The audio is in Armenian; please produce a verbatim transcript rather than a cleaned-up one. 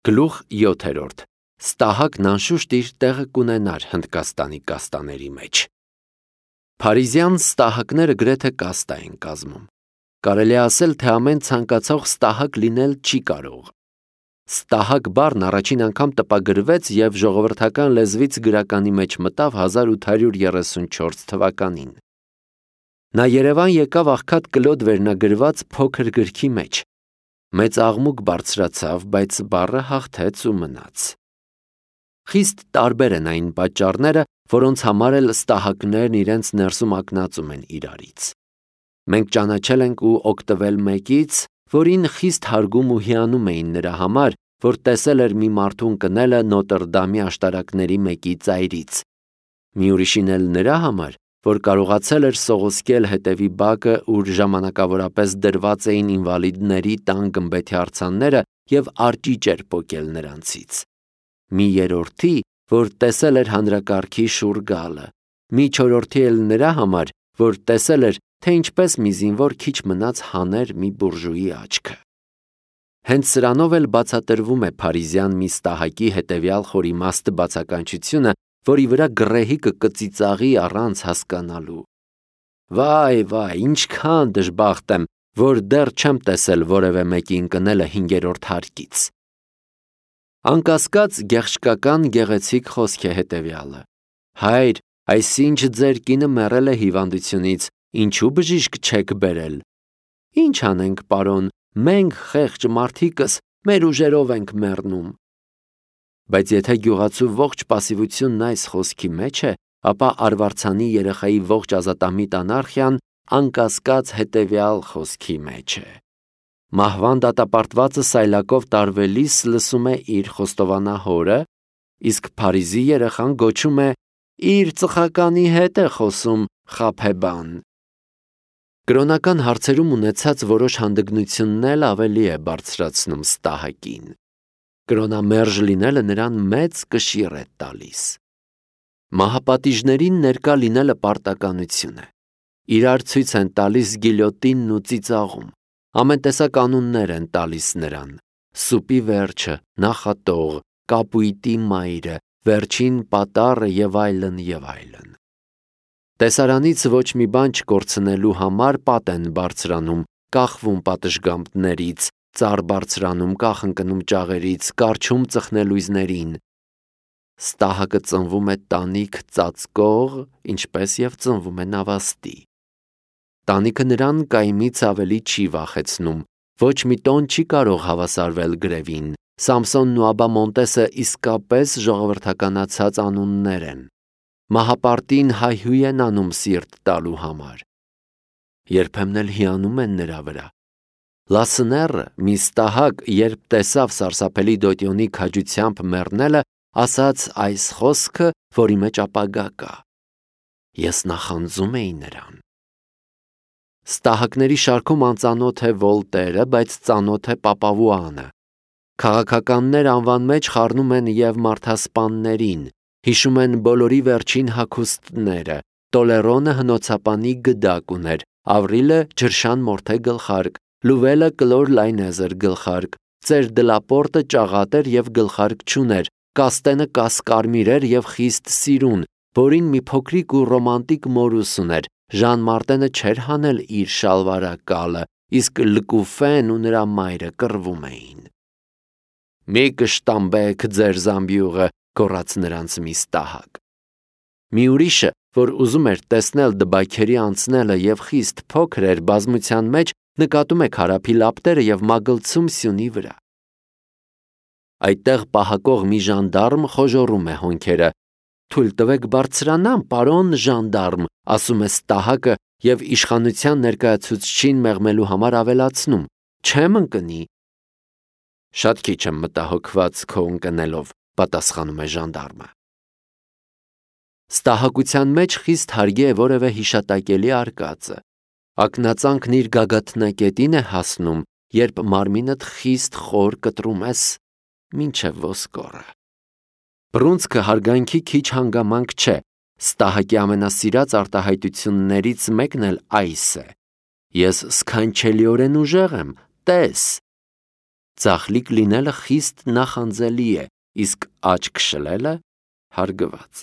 Գլուխ յոթերորդ. Ստահակն անշուշտ իր տեղը կունենար Հնդկաստանի կաստաների մեջ։ Փարիզյան ստահակները գրեթե կաստա են կազմում։ Կարելի է ասել, թե ամեն ցանկացող ստահակ լինել չի կարող։ Ստահակ բառն առաջին անգամ տպագրվեց և ժողովրդական լեզվից գրականի մեջ մտավ հազար ութ հարյուր երեսունչորս թվականին։ Նա Երևան եկավ աղքատ Կլոդ վերնագրված փոքր գրքի մեջ։ Մեծ աղմուկ բարձրացավ, բայց բառը հաղթեց ու մնաց։ Խիստ տարբեր են այն պատճառները, որոնց համար էլ ստահակներն իրենց ներսում ակնածում են իրարից։ Մենք ճանաչել ենք ու օգտվել մեկից, որին խիստ հարգում ու հիանում էին նրա համար, որ տեսել էր մի մարդու ընկնելը Նոտրդամի աշտարակների մեկի ծայրից։ Մի ուրիշին էլ նրա համար, որ կարողացել էր սողոսկել հետևի բակը, ուր ժամանակավորապես դրված էին ինվալիդների տան գմբեթի արձանները և արճիճ էր պոկել նրանցից։ Մի երրորդի, որ տեսել էր հանրակարգի շուռ գալը։ Մի չորրորդի էլ նրա համար, որ տեսել էր, թե ինչպես մի զինվոր քիչ մնաց հաներ մի բուրժուի աչքը։ Հենց սրանով էլ բացատրվում է փարիզյան մի ստահակի հետևյալ խորիմաստ բացականչությունը, որի վրա գռեհիկը կծիծաղի առանց հասկանալու։ Վայ, վայ, ինչքան դժբախտ եմ, որ դեռ չեմ տեսել որևէ մեկի ընկնելը հինգերորդ հարկից։ Անկասկած գեղչկական գեղեցիկ խոսք է հետևյալը. Հայր, այսինչ ձեր կինը մեռել է հիվանդությունից, ինչու բժիշկ չեք բերել։ Ինչ անենք, պարոն, մենք խեղճ մարդիկս մեր ուժերով ենք մեռնում։ Բայց եթե գյուղացու ողջ պասիվությունն այս խոսքի մեջ է, ապա արվարձանի երեխայի ողջ ազատամիտ անարխիան անկասկած հետևյալ խոսքի մեջ է։ Մահվան դատապարտվածը սայլակով տարվելիս լսում է իր խոստովանա հորը, իսկ Փարիզի երեխան գոչում է իր ծխականի հետ է խոսում խաբեբան։ Կրոնական հարցերում ունեցած որոշ հանդգնությունն էլ ավելի է բարձրացնում ստահակին։ Կրոնամերժ լինելը նրան մեծ կշիռ է տալիս։ Մահապատիժներին ներկա լինելը պարտականություն է։ Իրար ցույց են տալիս գիլյոտինն ու ծիծաղում։ Ամեն տեսակ անուններ են տալիս նրան. սուպի վերջը, նախատող, կապույտի մայրը, վերջին պատառը և այլն և այլն։ Տեսարանից ոչ մի բան չկորցնելու համար պատ են բարձրանում, կախվում պատշգամբներից, ծառ բարձրանում, կախ ընկնում ճաղերից, կառչում ծխնելույզներին։ Ստահակը ծնվում է տանիք ծածկող, ինչպես և ծնվում է նավաստի։ Տանիքը նրան կայմից ավելի չի վախեցնում, ոչ մի տոն չի կարող հավասարվել գրևին։ Սամսոնն ու Աբա Մոնտեսը իսկապես ժողովրդականացած անուններ են։ Մահապարտին հայհույ են անում սիրտ տալու համար։ Երբեմն էլ հիանում են նրա վրա։ Լասները, մի ստահակ, երբ տեսավ սարսափելի դոտյոնի քաջությամբ մեռնելը, ասաց այս խոսքը, որի մեջ ապագա կա։ Ես նախանձում էի նրան։ Ստահակների շարքում անծանոթ է Վոլտերը, բայց ծանոթ է Պապավուանը։ Քաղաքականներ անվան մեջ խառնում են և մարդասպաններին, հիշում են բոլորի վերջին հագուստները, Տոլերոնը հնոցապանի գդակ ուներ, Ավրիլը ջրշան մորթե գլխարկ, Լուվելը կլոր լայնեզր գլխարկ, ծեր Դլապորտը ճաղատ էր և գլխարկ չուներ, Կաստենը կասկարմիր էր և խիստ սիրուն, որին մի փոքրիկ ու ռոմանտիկ մորուս ուներ, Ժան Մարտենը չէր հանել իր շալվարակալը, իսկ Լկուֆեն ու նրա մայրը կռվում էին։ Մի կշտամբեք ձեր զամբյուղը, գոռաց նրանց մի ստահակ։ Մի ուրիշը, որ ուզում էր տեսնել դբայքերի անցնելը և խիստ փոքր էր բազմության մեջ, նկատում է քարափի լապտերը և մագլցում սյունի վրա։ Այդտեղ պահակող մի ժանդարմ խոժոռում է հոնքերը։ Թույլ տվեք բարձրանամ, պարոն ժանդարմ, ասում է ստահակը և իշխանության ներկայացուցչին մեղմելու համար ավելացնում. չեմ ընկնի։ Շատ քիչ եմ մտահոգված քո ընկնելով, պատասխանում է ժանդարմը։ Ստահակության մեջ խիստ հարգի է որևէ հիշատակելի արկածը։ Ակնածանքն իր գագաթնակետին է հասնում, երբ մարմինդ խիստ խոր կտրում ես մինչև ոսկորը։ Բռունցքը հարգանքի քիչ հանգամանք չէ։ Ստահակի ամենասիրած արտահայտություններից մեկն էլ այս է. ես սքանչելիորեն ուժեղ եմ, տես։ Ձախլիկ լինելը խիստ նախանձելի է, իսկ աչք շլելը՝ հարգված։